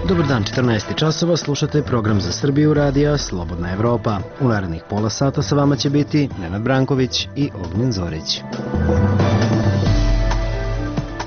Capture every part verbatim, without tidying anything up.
Dobar dan, četrnaest časova, slušate program za Srbiju radija Slobodna Evropa. U narednih pola sata sa vama će biti Nenad Branković i Ognjen Zorić.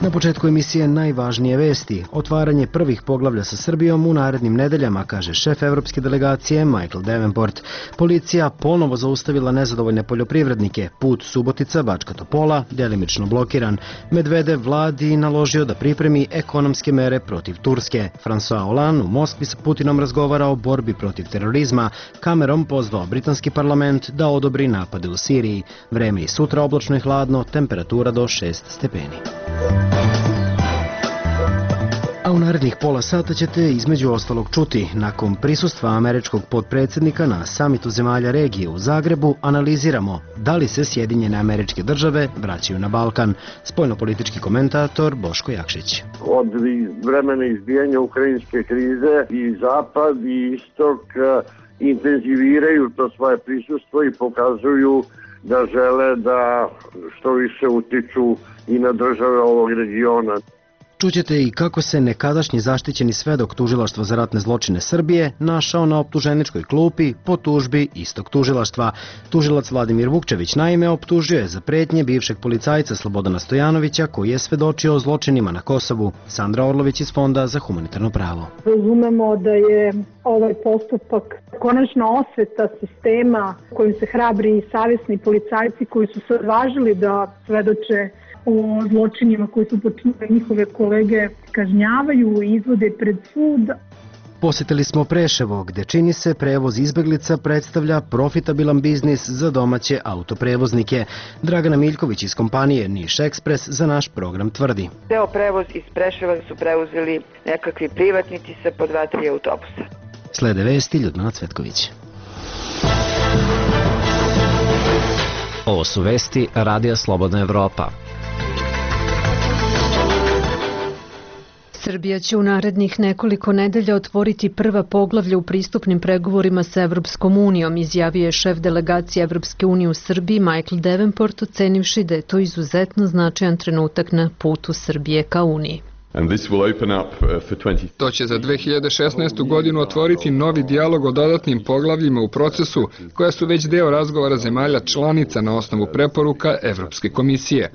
Na početku emisije najvažnije vesti. Otvaranje prvih poglavlja sa Srbijom u narednim nedeljama, kaže šef evropske delegacije Michael Davenport. Policija ponovo zaustavila nezadovoljne poljoprivrednike. Put Subotica-Bačka Topola delimično blokiran. Medvedev vladi naložio da pripremi ekonomske mere protiv Turske. François Hollande u Moskvi sa Putinom razgovara o borbi protiv terorizma. Cameron pozvao britanski parlament da odobri napade u Siriji. Vreme i sutra oblačno i hladno, temperatura do šest stepeni. A u narednih pola sata ćete između ostalog čuti. Nakon prisustva američkog potpredsjednika na samitu zemalja regije u Zagrebu analiziramo da li se Sjedinjene Američke Države vraćaju na Balkan. Spoljnopolitički komentator Boško Jakšić. Od vremena izbijanja ukrajinske krize i Zapad i Istok intenziviraju to svoje prisustvo i pokazuju da žele da što više utiču i na države ovog regiona. Čućete i kako se nekadašnji zaštićeni svedok Tužilaštva za ratne zločine Srbije našao na optuženičkoj klupi po tužbi istog tužilaštva. Tužilac Vladimir Vukčević naime optužio je za pretnje bivšeg policajca Slobodana Stojanovića koji je svedočio o zločinima na Kosovu. Sandra Orlović iz Fonda za humanitarno pravo. Razumemo da je ovaj postupak konačna osveta sistema kojim se hrabri i savjesni policajci koji su se odvažili da svedoče o zločinima koji su počinili njihove kolege kažnjavaju i izvode pred sud. Posjetili smo Preševo, gde čini se prevoz izbeglica predstavlja profitabilan biznis za domaće autoprevoznike. Dragana Miljković iz kompanije Niš Ekspres za naš program tvrdi. Deo prevoz iz Preševa su preuzeli nekakvi privatnici sa po dva, tri autobusa. Slede vesti Ljudmila Cvetković. Ovo su vesti Radija Slobodna Evropa. Srbija će u narednih nekoliko nedelja otvoriti prva poglavlja u pristupnim pregovorima sa Evropskom unijom, izjavio je šef delegacije Evropske unije u Srbiji Michael Davenport, ocenivši da je to izuzetno značajan trenutak na putu Srbije ka Uniji. To će za dve hiljade šesnaestu. godinu otvoriti novi dijalog o dodatnim poglavljima u procesu, koja su već deo razgovora zemalja članica na osnovu preporuka Evropske komisije.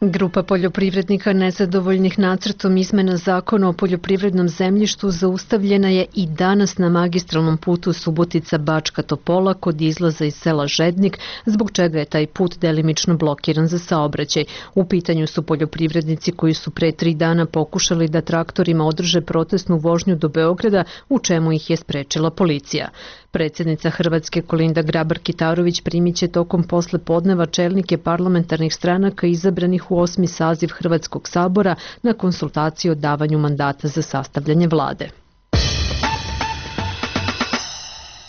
Grupa poljoprivrednika nezadovoljnih nacrtom izmena zakona o poljoprivrednom zemljištu zaustavljena je i danas na magistralnom putu Subotica-Bačka Topola kod izlaza iz sela Žednik, zbog čega je taj put delimično blokiran za saobraćaj. U pitanju su poljoprivrednici koji su pre tri dana pokušali da traktorima održe protestnu vožnju do Beograda, u čemu ih je sprečila policija. Predsjednica Hrvatske Kolinda Grabar-Kitarović primit će tokom posle podneva čelnike parlamentarnih stranaka izabranih u osmi saziv Hrvatskog sabora na konsultaciju o davanju mandata za sastavljanje vlade.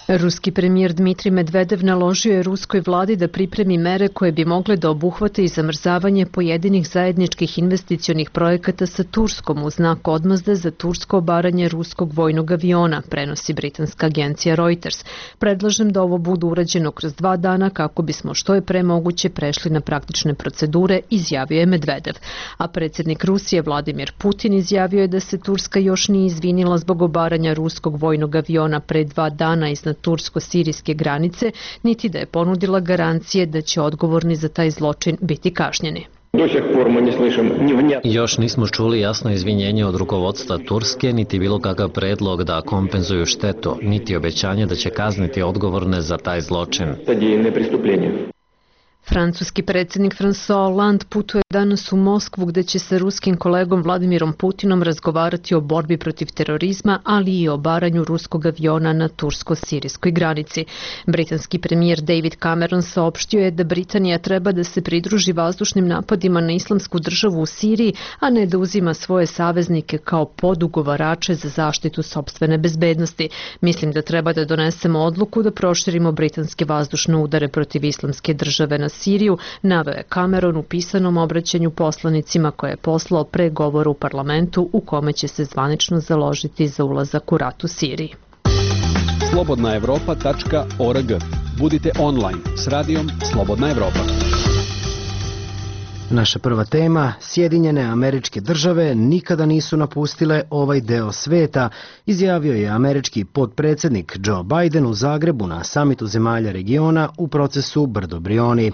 Ruski premijer Dmitrij Medvedev naložio je ruskoj vladi da pripremi mere koje bi mogle da obuhvate i zamrzavanje pojedinih zajedničkih investicionih projekata sa Turskom u znak odmazde za tursko obaranje ruskog vojnog aviona, prenosi britanska agencija Reuters. Predlažem da ovo bude urađeno kroz dva dana kako bismo što je pre moguće prešli na praktične procedure, izjavio je Medvedev. A predsjednik Rusije Vladimir Putin izjavio je da se Turska još nije izvinila zbog obaranja ruskog vojnog aviona pre dva dana iznad tursko-sirijske granice, niti da je ponudila garancije da će odgovorni za taj zločin biti kažnjeni. Još nismo čuli jasno izvinjenje od rukovodstva Turske, niti bilo kakav predlog da kompenzuju štetu, niti obećanje da će kazniti odgovorne za taj zločin. Francuski predsjednik François Hollande putuje danas u Moskvu gde će sa ruskim kolegom Vladimirom Putinom razgovarati o borbi protiv terorizma, ali i o obaranju ruskog aviona na tursko-sirijskoj granici. Britanski premijer David Cameron saopštio je da Britanija treba da se pridruži vazdušnim napadima na islamsku državu u Siriji, a ne da uzima svoje saveznike kao podugovarače za zaštitu sopstvene bezbednosti. Mislim da treba da donesemo odluku da proširimo britanske vazdušne udare protiv islamske države na Siriju, naveo je Cameron u pisanom obraćanju poslanicima koje je poslao pre govora u parlamentu u kome će se zvanično založiti za ulazak u rat u Siriji. slobodna evropa tačka org. Budite online s radijom Slobodna Evropa. Naša prva tema, Sjedinjene Američke Države nikada nisu napustile ovaj deo sveta, izjavio je američki potpredsjednik Joe Biden u Zagrebu na samitu zemalja regiona u procesu Brdo Brioni.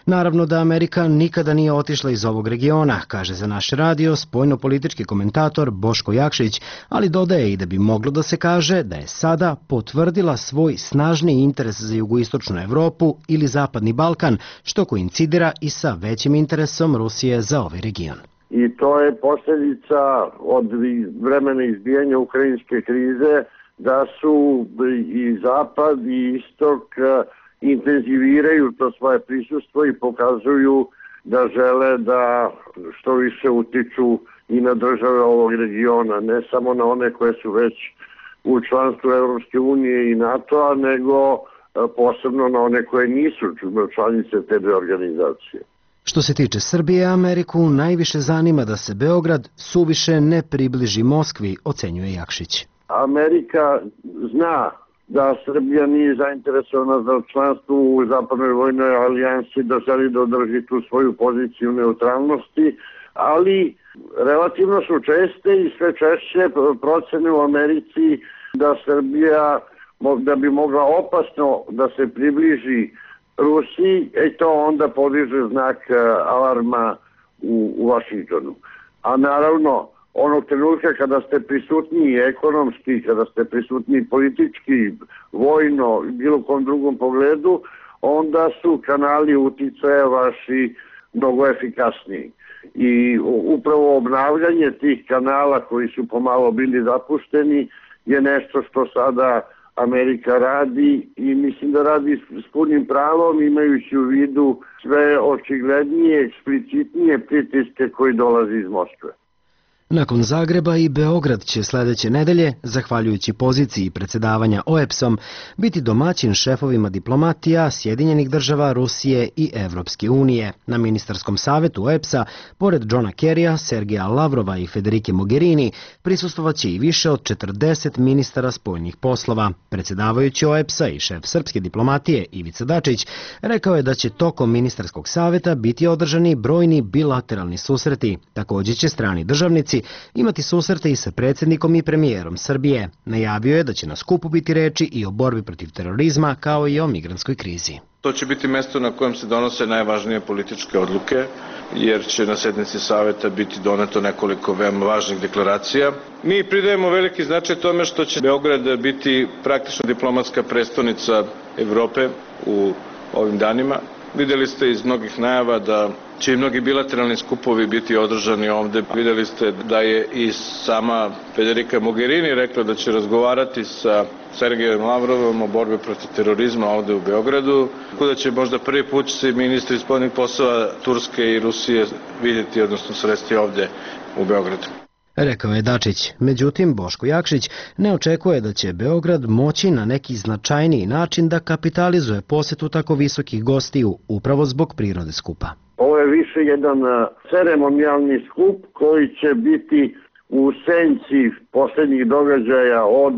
Naravno da Amerika nikada nije otišla iz ovog regiona, kaže za naš radio spoljnopolitički komentator Boško Jakšić, ali dodaje i da bi moglo da se kaže da je sada potvrdila svoj snažni interes za jugoistočnu Evropu ili Zapadni Balkan, što koincidira i sa većim interesom Rusije za ovaj region. I to je posljedica od vremena izbijanja ukrajinske krize, da su i Zapad i Istok intenziviraju to svoje prisustvo i pokazuju da žele da što više utiču i na države ovog regiona, ne samo na one koje su već u članstvu Evropske unije i NATO-a, nego posebno na one koje nisu članice te dve organizacije. Što se tiče Srbije, Ameriku najviše zanima da se Beograd suviše ne približi Moskvi, ocenjuje Jakšić. Amerika zna da Srbija nije zainteresovana za članstvo u Zapadnoj vojnoj alijansi, da želi da održi tu svoju poziciju neutralnosti, ali relativno su česte i sve češće procene u Americi da Srbija da bi mogla opasno da se približi Rusiji, i to onda podiže znak alarma u, u Vašingtonu. A naravno, onog trenutka kada ste prisutni ekonomski, kada ste prisutni politički, vojno, bilo kom drugom pogledu, onda su kanali uticaja vaši mnogo efikasniji. I upravo obnavljanje tih kanala koji su pomalo bili zapušteni je nešto što sada Amerika radi i mislim da radi s punim pravom, imajući u vidu sve očiglednije, eksplicitnije pritiske koji dolazi iz Moskve. Nakon Zagreba i Beograd će sledeće nedelje, zahvaljujući poziciji predsedavanja O E B S-om, biti domaćin šefovima diplomatija Sjedinjenih država, Rusije i Evropske unije. Na ministarskom savetu O E B S-a, pored Johna Kerrya, Sergeja Lavrova i Federike Mogherini, prisustvovaće i više od četrdeset ministara spoljnih poslova. Predsedavajući O E B S-a i šef srpske diplomatije Ivica Dačić rekao je da će tokom ministarskog saveta biti održani brojni bilateralni susreti. Također će strani državnici imati susrete i sa predsjednikom i premijerom Srbije. Najavio je da će na skupu biti reči i o borbi protiv terorizma, kao i o migrantskoj krizi. To će biti mesto na kojem se donose najvažnije političke odluke, jer će na sednici saveta biti doneto nekoliko veoma važnih deklaracija. Mi pridajemo veliki značaj tome što će Beograd biti praktično diplomatska prestonica Evrope u ovim danima. Videli ste iz mnogih najava da će i mnogi bilateralni skupovi biti održani ovde. Videli ste da je i sama Federika Mogherini rekla da će razgovarati sa Sergejem Lavrovom o borbi protiv terorizma ovde u Beogradu. Tako da će možda prvi put se ministri spoljnih poslova Turske i Rusije vidjeti, odnosno sresti ovde u Beogradu. Rekao je Dačić. Međutim, Boško Jakšić ne očekuje da će Beograd moći na neki značajniji način da kapitalizuje posetu tako visokih gostiju, upravo zbog prirode skupa. Ovo je više jedan ceremonijalni skup koji će biti u senci poslednjih događaja od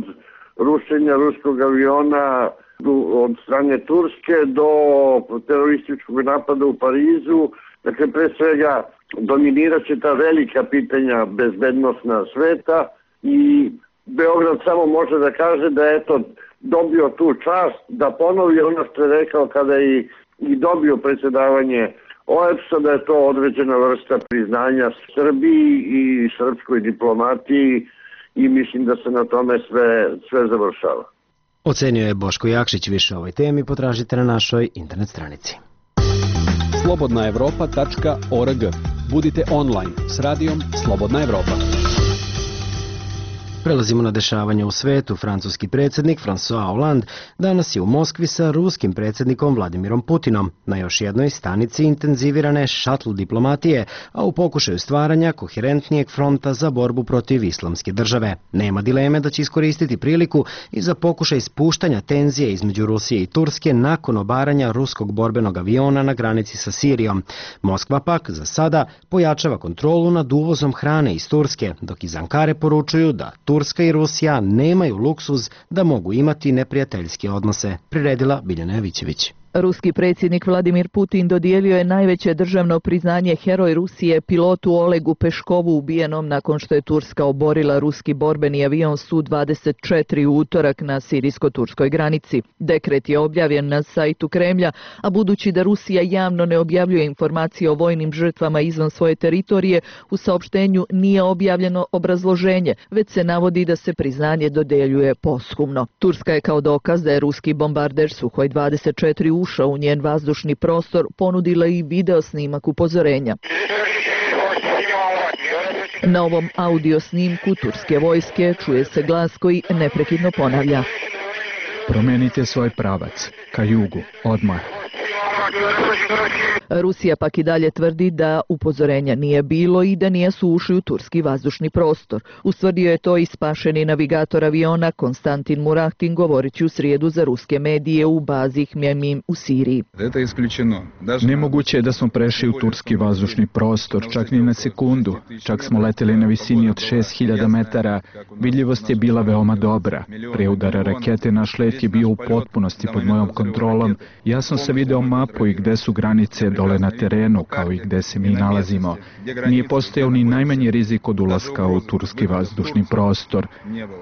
rušenja ruskog aviona od strane Turske do terorističkog napada u Parizu. Dakle, pre svega dominirat će ta velika pitanja bezbednostna sveta i Beograd samo može da kaže da je eto dobio tu čast, da ponovi ono što je rekao kada je i dobio predsjedavanje O E B S-a, da je to određena vrsta priznanja Srbiji i srpskoj diplomatiji i mislim da se na tome sve, sve završava. Ocenio je Boško Jakšić. Više o ovoj temi potražite na našoj internet stranici. slobodna evropa tačka org. Budite online s radijom Slobodna Evropa. Prelazimo na dešavanje u svetu. Francuski predsjednik François Hollande danas je u Moskvi sa ruskim predsjednikom Vladimirom Putinom na još jednoj stanici intenzivirane šatl diplomatije, a u pokušaju stvaranja koherentnijeg fronta za borbu protiv islamske države. Nema dileme da će iskoristiti priliku i za pokušaj spuštanja tenzije između Rusije i Turske nakon obaranja ruskog borbenog aviona na granici sa Sirijom. Moskva pak za sada pojačava kontrolu nad uvozom hrane iz Turske, dok iz Ankare poručuju da Turska i Rusija nemaju luksuz da mogu imati neprijateljske odnose, priredila Biljana Jovićević. Ruski predsjednik Vladimir Putin dodijelio je najveće državno priznanje Heroj Rusije pilotu Olegu Peškovu ubijenom nakon što je Turska oborila ruski borbeni avion Su dvadeset četiri u utorak na sirijsko-turskoj granici. Dekret je objavljen na sajtu Kremlja, a budući da Rusija javno ne objavljuje informacije o vojnim žrtvama izvan svoje teritorije, u saopštenju nije objavljeno obrazloženje, već se navodi da se priznanje dodeljuje posthumno. Turska je kao dokaz da je ruski bombarder Suhoj dvadeset četiri ušao u njen vazdušni prostor ponudila i video snimak upozorenja. Na ovom audio snimku turske vojske čuje se glas koji neprekidno ponavlja: promenite svoj pravac, ka jugu, odmah. Rusija pak i dalje tvrdi da upozorenja nije bilo i da nisu ušli u turski vazdušni prostor. Ustvrdio je to i spašeni navigator aviona Konstantin Murahtin govoreći u srijedu za ruske medije u bazi Hmemim u Siriji. Nemoguće je da smo prešli u turski vazdušni prostor, čak ni na sekundu. Čak smo leteli na visini od šest hiljada metara. Vidljivost je bila veoma dobra. Pre udara rakete naš let je bio u potpunosti pod mojom kontrolom. Jasno sam video mapu i gde su granice dole na terenu, kao i gde se mi nalazimo. Nije postojao ni najmanji rizik od ulaska u turski vazdušni prostor.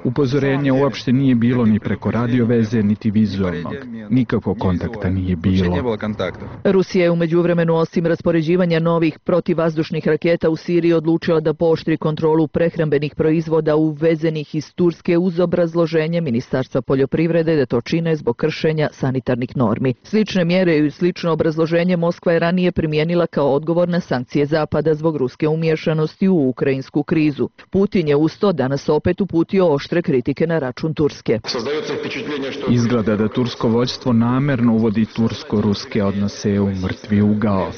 Upozorenja uopšte nije bilo ni preko radioveze, niti vizualnog. Nikakvog kontakta nije bilo. Rusija je u međuvremenu osim raspoređivanja novih protivvazdušnih raketa u Siriji odlučila da pooštri kontrolu prehrambenih proizvoda uvezenih iz Turske uz obrazloženje Ministarstva poljoprivrede da to čine zbog kršenja sanitarnih normi. Slične mjere i slično obrazloženje Moskva je ranije primijenila kao odgovor na sankcije Zapada zbog ruske umješanosti u ukrajinsku krizu. Putin je usto danas opet uputio oštre kritike na račun Turske. Izgleda da tursko vođstvo namerno uvodi tursko-ruske odnose u mrtvi ugao.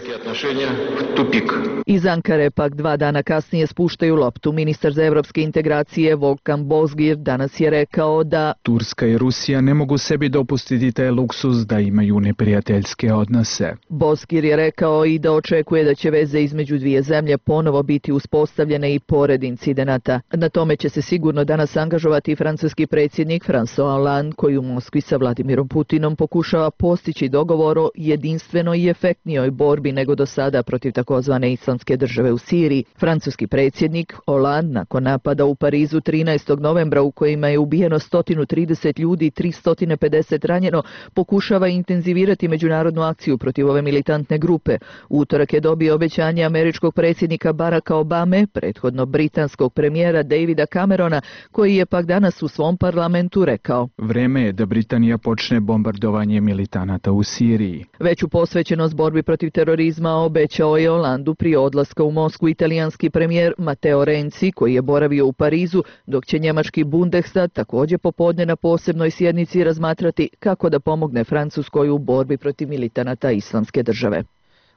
Iz Ankare pak dva dana kasnije spuštaju loptu. Ministar za evropske integracije Volkan Bozgir danas je rekao da Turska i Rusija ne mogu sebi dopustiti taj luksuz da imaju neprijateljske odnose. Bozgir je rekao i da očekuje da će veze između dvije zemlje ponovo biti uspostavljene i pored incidenata. Na tome će se sigurno danas angažovati francuski predsjednik François Hollande, koji u Moskvi sa Vladimirom Putinom pokušava postići dogovor o jedinstvenoj i efektnijoj borbi nego do sada protiv takozvane islamske države u Siriji. Francuski predsjednik Hollande nakon napada u Parizu trinaestog novembra u kojima je ubijeno sto trideset ljudi i tristo pedeset ranjeno, pokušava intenzivirati međunarodnu akciju protiv ove militantne grupe. U utorak je dobio obećanje američkog predsjednika Baracka Obame, prethodno britanskog premijera Davida Camerona, koji je pak danas u svom parlamentu rekao: vreme je da Britanija počne bombardovanje militanata u Siriji. Veću posvećenost borbi protiv terorizma obećao je Holandu prije odlaska u Moskvu italijanski premijer Matteo Renzi, koji je boravio u Parizu, dok će njemački Bundestag također popodne na posebnoj sjednici razmatrati kako da pomogne Francuskoj u borbi protiv militanata islamske države.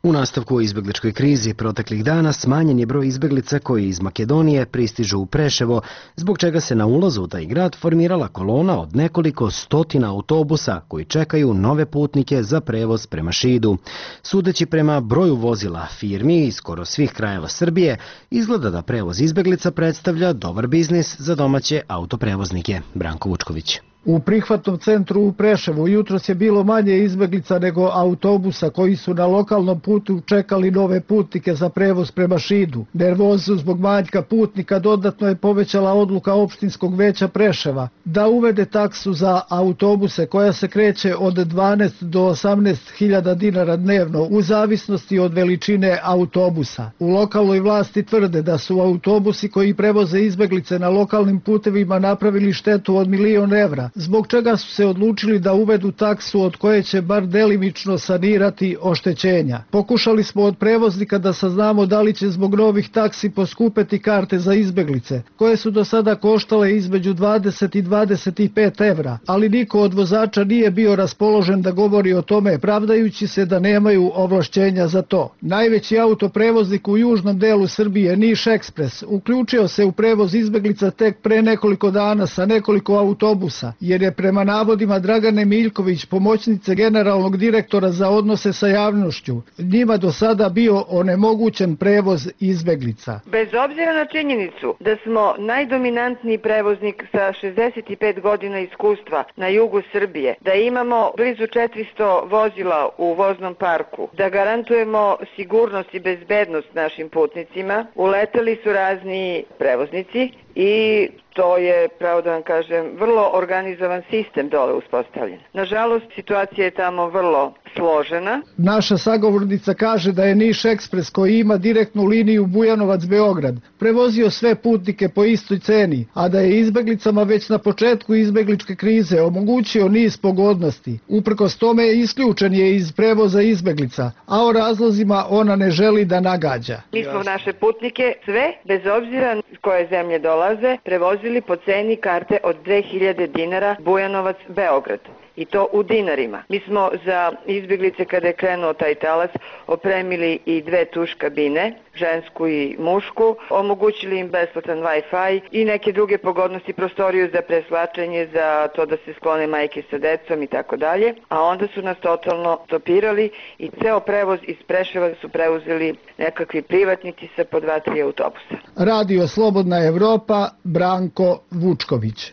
U nastavku o izbjegličkoj krizi proteklih dana smanjen je broj izbjeglica koji iz Makedonije pristižu u Preševo, zbog čega se na ulazu u taj grad formirala kolona od nekoliko stotina autobusa koji čekaju nove putnike za prevoz prema Šidu. Sudeći prema broju vozila firmi iz skoro svih krajeva Srbije, izgleda da prevoz izbjeglica predstavlja dobar biznis za domaće autoprevoznike. Branko Vučković. U prihvatnom centru u Preševu jutros je bilo manje izbeglica nego autobusa koji su na lokalnom putu čekali nove putnike za prevoz prema Šidu. Nervozu zbog manjka putnika dodatno je povećala odluka opštinskog veća Preševa da uvede taksu za autobuse koja se kreće od dvanaest do osamnaest hiljada dinara dnevno u zavisnosti od veličine autobusa. U lokalnoj vlasti tvrde da su autobusi koji prevoze izbeglice na lokalnim putevima napravili štetu od milion evra, zbog čega su se odlučili da uvedu taksu od koje će bar delimično sanirati oštećenja. Pokušali smo od prevoznika da saznamo da li će zbog novih taksi poskupeti karte za izbeglice, koje su do sada koštale između dvadeset i dvadeset pet evra, ali niko od vozača nije bio raspoložen da govori o tome, pravdajući se da nemaju ovlašćenja za to. Najveći autoprevoznik u južnom delu Srbije, Niš Ekspres, uključio se u prevoz izbeglica tek pre nekoliko dana sa nekoliko autobusa jer je prema navodima Dragane Miljković, pomoćnice generalnog direktora za odnose sa javnošću, njima do sada bio onemogućen prevoz izbeglica. Bez obzira na činjenicu da smo najdominantniji prevoznik sa šezdeset pet godina iskustva na jugu Srbije, da imamo blizu četiristo vozila u voznom parku, da garantujemo sigurnost i bezbednost našim putnicima, uleteli su razni prevoznici i to je, pravo da vam kažem, vrlo organizovan sistem dole uspostavljen. Nažalost, situacija je tamo vrlo složena. Naša sagovornica kaže da je Niš Ekspres, koji ima direktnu liniju Bujanovac-Beograd, prevozio sve putnike po istoj ceni, a da je izbeglicama već na početku izbegličke krize omogućio niz pogodnosti. Uprkos tome isključen je iz prevoza izbeglica, a o razlozima ona ne želi da nagađa. Mi smo naše putnike sve, bez obzira s koje zemlje dolaze, prevozili po ceni karte od dve hiljade dinara Bujanovac-Beograd. I to u dinarima. Mi smo za izbjeglice, kada je krenuo taj talas, opremili i dve tuš kabine, žensku i mušku, omogućili im besplatan Wi-Fi i neke druge pogodnosti, prostoriju za preslačenje, za to da se sklone majke sa decom i tako dalje, a onda su nas totalno stopirali i ceo prevoz iz Preševa su preuzeli nekakvi privatnici sa po dva, tri autobusa. Radio Slobodna Evropa, Branko Vučković.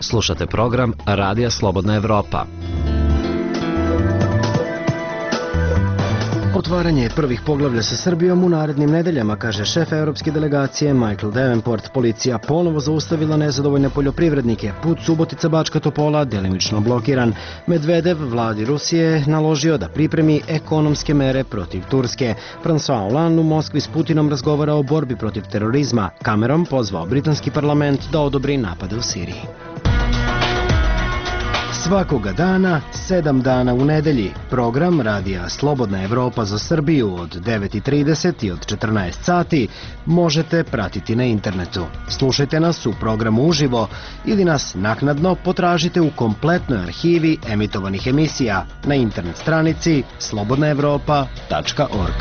Slušate program Radija Slobodna Evropa. Otvaranje prvih poglavlja sa Srbijom u narednim nedeljama, kaže šef evropske delegacije Michael Davenport. Policija ponovo zaustavila nezadovoljne poljoprivrednike. Put Subotica-Bačka Topola delimično blokiran. Medvedev vladi Rusije naložio da pripremi ekonomske mere protiv Turske. François Hollande u Moskvi s Putinom razgovara o borbi protiv terorizma. Cameron pozvao britanski parlament da odobri napade u Siriji. Svakoga dana, sedam dana u nedelji, program Radija Slobodna Evropa za Srbiju od devet i trideset i od četrnaest sati možete pratiti na internetu. Slušajte nas u programu uživo ili nas naknadno potražite u kompletnoj arhivi emitovanih emisija na internet stranici slobodna evropa tačka org.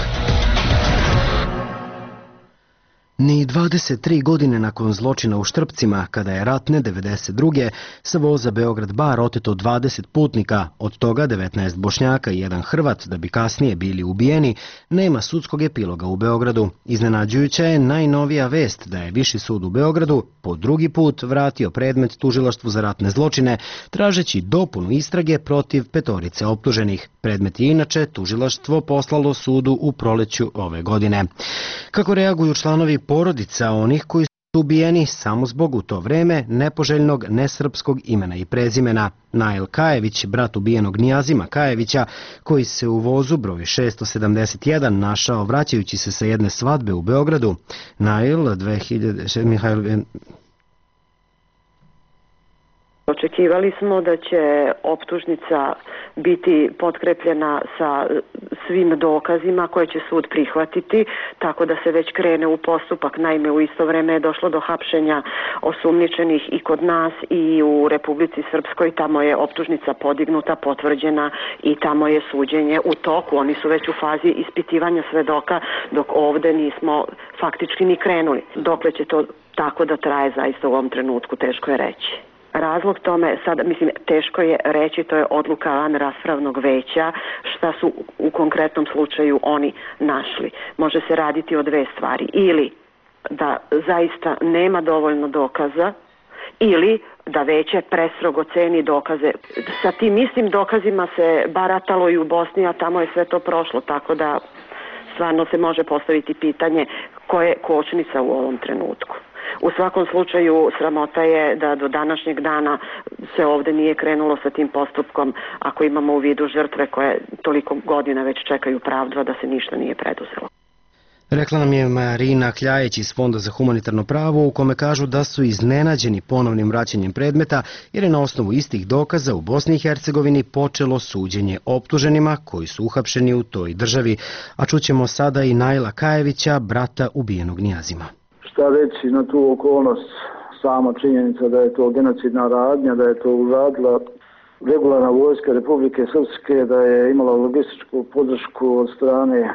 Ni dvadeset tri godine nakon zločina u Štrpcima, kada je ratne devedeset druge sa voza Beograd-Bar oteto dvadeset putnika, od toga devetnaest Bošnjaka i jedan Hrvat, da bi kasnije bili ubijeni, nema sudskog epiloga u Beogradu. Iznenađujuća je najnovija vest da je Viši sud u Beogradu po drugi put vratio predmet tužilaštvu za ratne zločine, tražeći dopunu istrage protiv petorice optuženih. Predmet je inače tužilaštvo poslalo sudu u proleću ove godine. Kako reaguju članovi porodica onih koji su ubijeni samo zbog u to vreme nepoželjnog nesrpskog imena i prezimena? Nail Kajević, brat ubijenog Nijazima Kajevića, koji se u vozu broj šesto sedamdeset jedan našao vraćajući se sa jedne svadbe u Beogradu. Nail, dve hiljade... Mihajl... Očekivali smo da će optužnica biti potkrepljena sa svim dokazima koje će sud prihvatiti, tako da se već krene u postupak. Naime, u isto vreme je došlo do hapšenja osumnjičenih i kod nas i u Republici Srpskoj. Tamo je optužnica podignuta, potvrđena i tamo je suđenje u toku. Oni su već u fazi ispitivanja svedoka, dok ovde nismo faktički ni krenuli. Dokle će to tako da traje, zaista u ovom trenutku teško je reći. Razlog tome, sada, mislim, teško je reći, to je odluka van raspravnog veća, šta su u konkretnom slučaju oni našli. Može se raditi o dve stvari. Ili da zaista nema dovoljno dokaza, ili da veće prestrogo ceni dokaze. Sa tim istim dokazima se baratalo i u Bosni, a tamo je sve to prošlo, tako da stvarno se može postaviti pitanje ko je kočnica u ovom trenutku. U svakom slučaju sramota je da do današnjeg dana se ovde nije krenulo sa tim postupkom, ako imamo u vidu žrtve koje toliko godina već čekaju pravdu, da se ništa nije preduzelo. Rekla nam je Marina Kljajeć iz Fonda za humanitarno pravo, u kome kažu da su iznenađeni ponovnim vraćanjem predmeta, jer je na osnovu istih dokaza u Bosni i Hercegovini počelo suđenje optuženima koji su uhapšeni u toj državi. A čućemo sada i Naila Kajevića, brata ubijenog Nijazima. Šta reći na tu okolnost, sama činjenica da je to genocidna radnja, da je to uradila regularna vojska Republike Srpske, da je imala logističku podršku od strane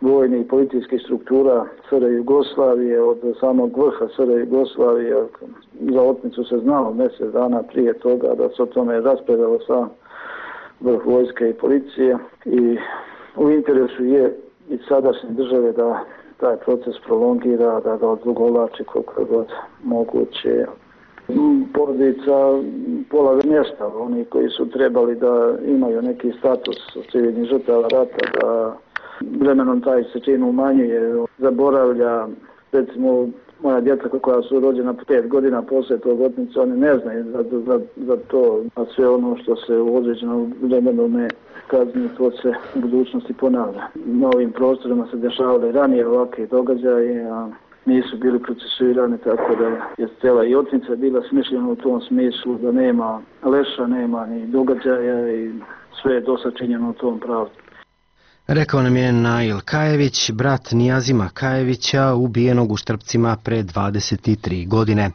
vojnih i policijskih struktura S R Jugoslavije, od samog vrha S R Jugoslavije. Za otmicu se znalo mjesec dana prije toga da se o tome raspravljalo sa vrh vojske i policije i u interesu je i sadašnje države da taj proces prolongira, da ga odugovlači koliko god moguće. Porodica pola mjesta, oni koji su trebali da imaju neki status civilnih žrtava rata, da vremenom taj se čin umanjuje, zaboravlja, recimo moja djeca koja su rođena pet godina poslije tog otmice, oni ne znaju za, za, za to, a sve ono što se u određenom vremenu ne kazni, to se u budućnosti ponavlja. Na ovim prostorima se dešavale ranije ovakve događaje, a nisu bili procesuirani, tako da je cijela i otmica bila smišljena u tom smislu da nema leša, nema ni događaja i sve je dosta činjeno u tom pravcu. Rekao nam je Nail Kajević, brat Nijazima Kajevića, ubijenog u Štrpcima pre dvadeset tri godine.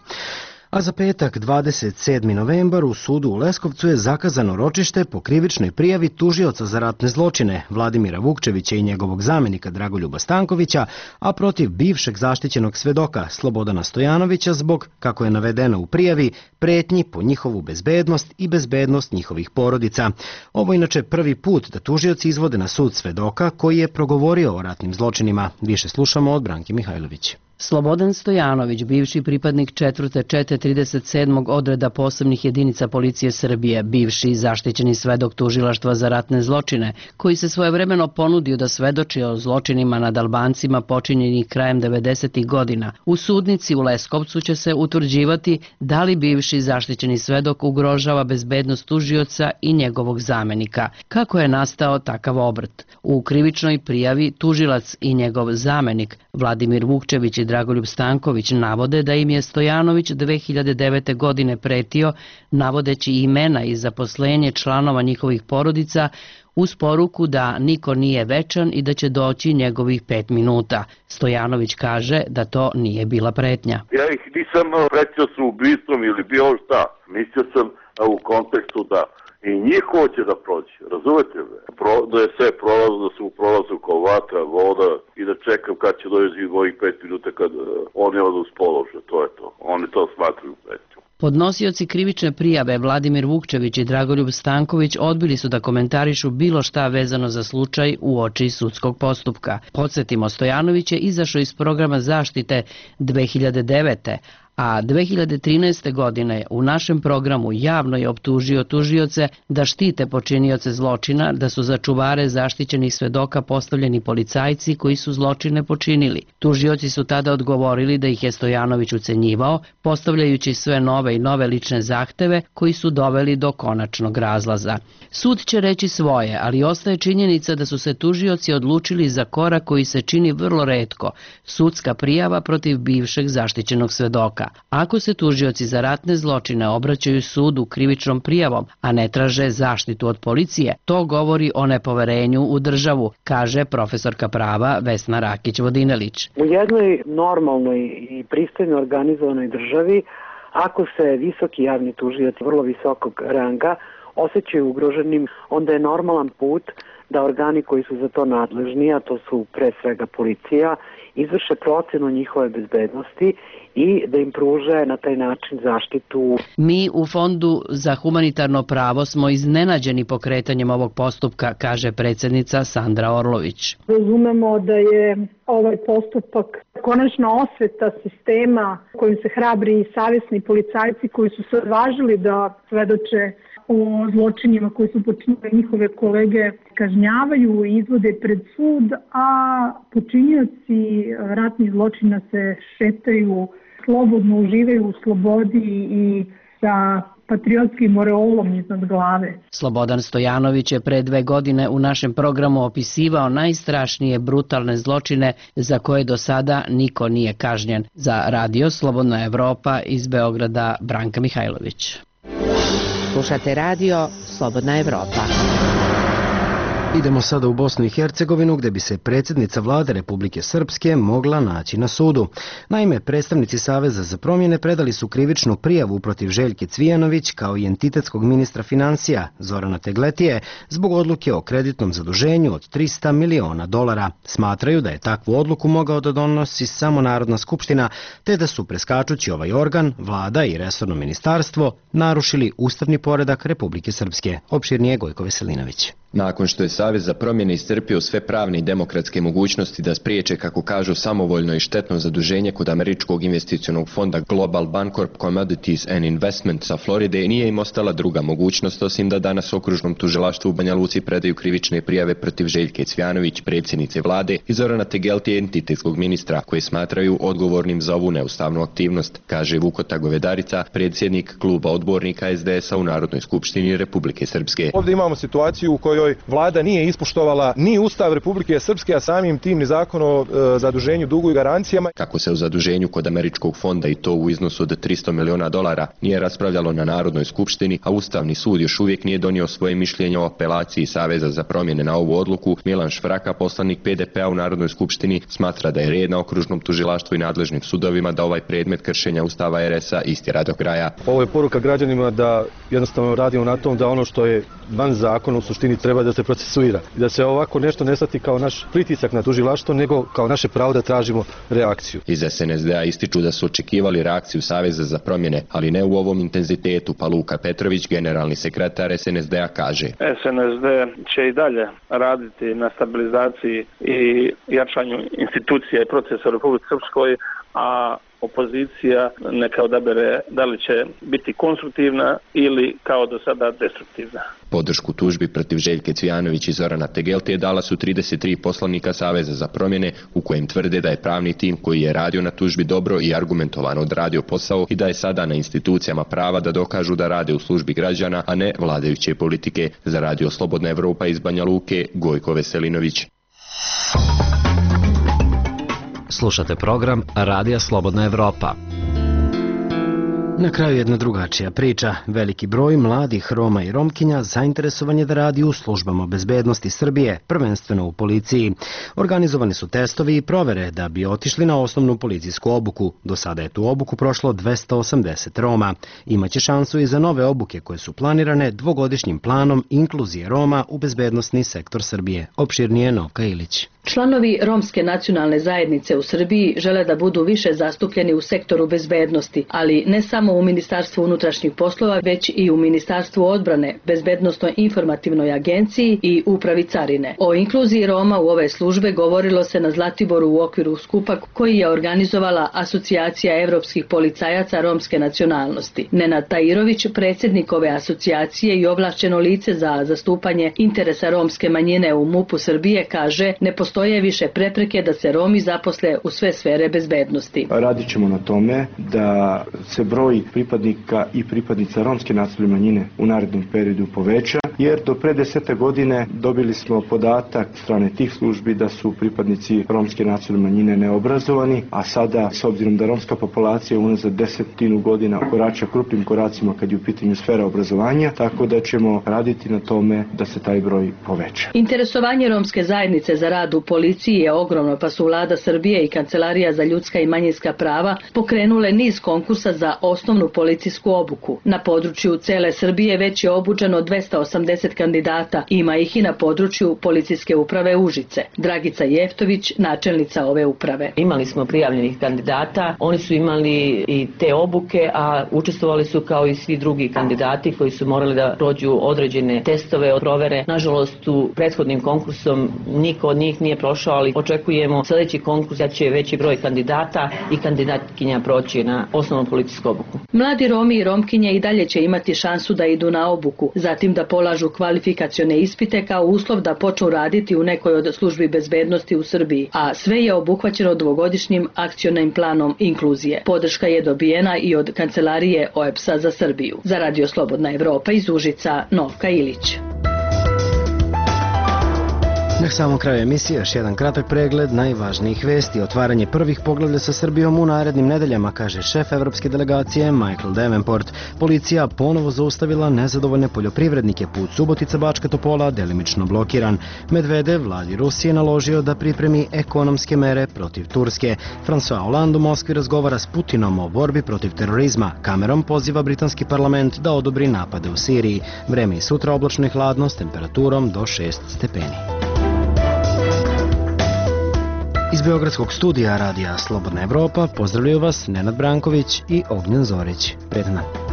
A za petak dvadeset sedmi novembar u sudu u Leskovcu je zakazano ročište po krivičnoj prijavi tužioca za ratne zločine Vladimira Vukčevića i njegovog zamenika Dragoljuba Stankovića, a protiv bivšeg zaštićenog svedoka Slobodana Stojanovića zbog, kako je navedeno u prijavi, pretnji po njihovu bezbednost i bezbednost njihovih porodica. Ovo je inače prvi put da tužioci izvode na sud svedoka koji je progovorio o ratnim zločinima. Više slušamo od Branke Mihajlović. Slobodan Stojanović, bivši pripadnik četvrte čete trideset sedmog odreda posebnih jedinica policije Srbije, bivši zaštićeni svedok tužilaštva za ratne zločine, koji se svojevremeno ponudio da svedoči o zločinima nad Albancima počinjenih krajem devedesetih godina. U sudnici u Leskovcu će se utvrđivati da li bivši zaštićeni svedok ugrožava bezbednost tužioca i njegovog zamenika. Kako je nastao takav obrt? U krivičnoj prijavi tužilac i njegov zamenik Vladimir Vukčević i Dragoljub Stanković navode da im je Stojanović dve hiljade devete. godine pretio, navodeći imena i zaposlenje članova njihovih porodica, uz poruku da niko nije večan i da će doći njegovih pet minuta. Stojanović kaže da to nije bila pretnja. Ja ih nisam pretio sa ubistvom ili bilo šta. Mislio sam u kontekstu da i njihovo će da prođe, razumete me? Pro, da je sve prolazno, da su u prolazu kao vatra, voda i da čekam kad će doći mojih pet minuta kad uh, oni odu s položaja, to je to. Oni to smatruju pretnjom. Podnosioci krivične prijave Vladimir Vukčević i Dragoljub Stanković odbili su da komentarišu bilo šta vezano za slučaj u oči sudskog postupka. Podsjetimo, Stojanović je izašao iz programa zaštite dve hiljade devete. a dve hiljade trinaeste. godine u našem programu javno je optužio tužioce da štite počinioce zločina, da su za čuvare zaštićenih svedoka postavljeni policajci koji su zločine počinili. Tužioci su tada odgovorili da ih je Stojanović ucenjivao, postavljajući sve nove i nove lične zahteve koji su doveli do konačnog razlaza. Sud će reći svoje, ali ostaje činjenica da su se tužioci odlučili za korak koji se čini vrlo retko, sudska prijava protiv bivšeg zaštićenog svedoka. Ako se tužioci za ratne zločine obraćaju sudu krivičnom prijavom, a ne traže zaštitu od policije, to govori o nepoverenju u državu, kaže profesorka prava Vesna Rakić-Vodinelić. U jednoj normalnoj i pristojno organizovanoj državi, ako se visoki javni tužioci vrlo visokog ranga osjećaju ugroženim, onda je normalan put da organi koji su za to nadležni, a to su pre svega policija, izvrše procenu njihove bezbednosti i da im pruže na taj način zaštitu. Mi u Fondu za humanitarno pravo smo iznenađeni pokretanjem ovog postupka, kaže predsjednica Sandra Orlović. Razumemo da je ovaj postupak konačna osveta sistema kojim se hrabri i savjesni policajci koji su se odvažili da svedoče o zločinima koji su počinili njihove kolege kažnjavaju i izvode pred sud, a počinioci ratnih zločina se šetaju, slobodno uživaju u slobodi i sa patriotskim oreolom iznad glave. Slobodan Stojanović je pre dve godine u našem programu opisivao najstrašnije brutalne zločine za koje do sada niko nije kažnjen. Za radio Slobodna Evropa iz Beograda, Branka Mihajlović. Slušate radio Slobodna Evropa. Idemo sada u Bosnu i Hercegovinu gdje bi se predsjednica vlade Republike Srpske mogla naći na sudu. Naime, predstavnici Saveza za promjene predali su krivičnu prijavu protiv Željke Cvijanović kao i entitetskog ministra financija Zorana Tegletije zbog odluke o kreditnom zaduženju od trista miliona dolara. Smatraju da je takvu odluku mogao da donosi samo Narodna skupština, te da su preskačući ovaj organ, vlada i resorno ministarstvo narušili ustavni poredak Republike Srpske. Opširnije Gojko Veselinović. Nakon što je Savez za promjene iscrpio sve pravne i demokratske mogućnosti da spriječe, kako kažu, samovoljno i štetno zaduženje kod američkog investicionog fonda Global Bancorp Commodities and Investment sa Floride, nije im ostala druga mogućnost osim da danas okružnom tužilaštvu u Banja Luci predaju krivične prijave protiv Željke Cvijanović, predsjednice vlade, i Zorana Tegeltije, entitetskog ministra, koje smatraju odgovornim za ovu neustavnu aktivnost, kaže Vukota Govedarica, predsjednik kluba odbornika es de esa u Narodnoj skupštini Republike Srpske. Ovdje imamo situaciju u kojoj vlada nije ispoštovala ni Ustav Republike Srpske, a samim tim ni zakon o e, zaduženju, dugu i garancijama. Kako se u zaduženju kod američkog fonda, i to u iznosu od trista miliona dolara, nije raspravljalo na Narodnoj skupštini, a Ustavni sud još uvijek nije donio svoje mišljenje o apelaciji Saveza za promjene na ovu odluku, Milan Švraka, poslanik pe de pea u Narodnoj skupštini, smatra da je red na okružnom tužilaštvu i nadležnim sudovima da ovaj predmet kršenja Ustava er es a istjera do kraja. Ovo je poruka građanima da jednostavno radimo na tom da ono što je van zakona u suštini treba da se procesuira. I da se ovako nešto ne shvati kao naš pritisak na tužilaštvo, nego kao naše pravo da tražimo reakciju. Iz es en es de a ističu da su očekivali reakciju Saveza za promjene, ali ne u ovom intenzitetu, pa Luka Petrović, generalni sekretar es en es de a, kaže. es en es de će i dalje raditi na stabilizaciji i jačanju institucija i procesa u Republici Srpskoj, a opozicija neka odabere da li će biti konstruktivna ili kao do sada destruktivna. Podršku tužbi protiv Željke Cvijanović i Zorana Tegeltije dala su trideset tri poslanika Saveza za promjene, u kojem tvrde da je pravni tim koji je radio na tužbi dobro i argumentovano odradio posao i da je sada na institucijama prava da dokažu da rade u službi građana, a ne vladajuće politike. Za Radio Slobodna Evropa iz Banja Luke, Gojko Veselinović. Slušate program Radija Slobodna Evropa. Na kraju jedna drugačija priča. Veliki broj mladih Roma i Romkinja zainteresovan je da radi u službama bezbednosti Srbije, prvenstveno u policiji. Organizovani su testovi i provere da bi otišli na osnovnu policijsku obuku. Do sada je tu obuku prošlo dvesta osamdeset Roma. Imaće šansu i za nove obuke koje su planirane dvogodišnjim planom inkluzije Roma u bezbednosni sektor Srbije. Opširnije Novka Ilić. Članovi romske nacionalne zajednice u Srbiji žele da budu više zastupljeni u sektoru bezbednosti, ali ne samo u Ministarstvu unutrašnjih poslova, već i u Ministarstvu odbrane, Bezbednosnoj informativnoj agenciji i Upravi carine. O inkluziji Roma u ove službe govorilo se na Zlatiboru u okviru skupa koji je organizovala Asocijacija evropskih policajaca romske nacionalnosti. Nenad Tajirović, predsjednik ove asocijacije i ovlašćeno lice za zastupanje interesa romske manjine u MUP-u Srbije, kaže: ne postoji Postoje više prepreke da se Romi zaposle u sve sfere bezbednosti. Radit ćemo na tome da se broj pripadnika i pripadnica romske nacionalne manjine u narednom periodu poveća, jer do pre desete godine dobili smo podatak strane tih službi da su pripadnici romske nacionalne manjine neobrazovani, a sada, s obzirom da romska populacija unazad desetinu godina korača krupnim koracima kad je u pitanju sfera obrazovanja, tako da ćemo raditi na tome da se taj broj poveća. Interesovanje romske zajednice za rad u policiji je ogromno, pa su Vlada Srbije i Kancelarija za ljudska i manjinska prava pokrenule niz konkursa za osnovnu policijsku obuku. Na području cele Srbije već je obučeno dvesta osamdeset kandidata, ima ih i na području policijske uprave Užice. Dragica Jeftović, načelnica ove uprave. Imali smo prijavljenih kandidata, oni su imali i te obuke, a učestvovali su kao i svi drugi kandidati koji su morali da prođu određene testove, provere. Nažalost, u prethodnim konkursom niko od njih nije prošao, ali očekujemo sljedeći konkurs da će veći broj kandidata i kandidatkinja proći na osnovnu policijsku obuku. Mladi Romi i Romkinje i dalje će imati šansu da idu na obuku, zatim da polažu kvalifikacione ispite kao uslov da počnu raditi u nekoj od službi bezbednosti u Srbiji, a sve je obuhvaćeno dvogodišnjim akcionim planom inkluzije. Podrška je dobijena i od Kancelarije O E B S-a za Srbiju. Za Radio Slobodna Evropa iz Užica, Novka Ilić. Na samom kraju emisije još jedan kratak pregled najvažnijih vesti. Otvaranje prvih poglavlja sa Srbijom u narednim nedeljama, kaže šef evropske delegacije Michael Davenport. Policija ponovo zaustavila nezadovoljne poljoprivrednike, put Subotica-Bačka Topola delimično blokiran. Medvedev vladi Rusije naložio da pripremi ekonomske mere protiv Turske. François Hollande u Moskvi razgovara s Putinom o borbi protiv terorizma. Cameron poziva britanski parlament da odobri napade u Siriji. Vreme i sutra oblačno i hladno s temperaturom do šest stepeni. Iz Beogradskog studija radija Slobodna Evropa pozdravljaju vas Nenad Branković i Ognjen Zorić. Prijatno.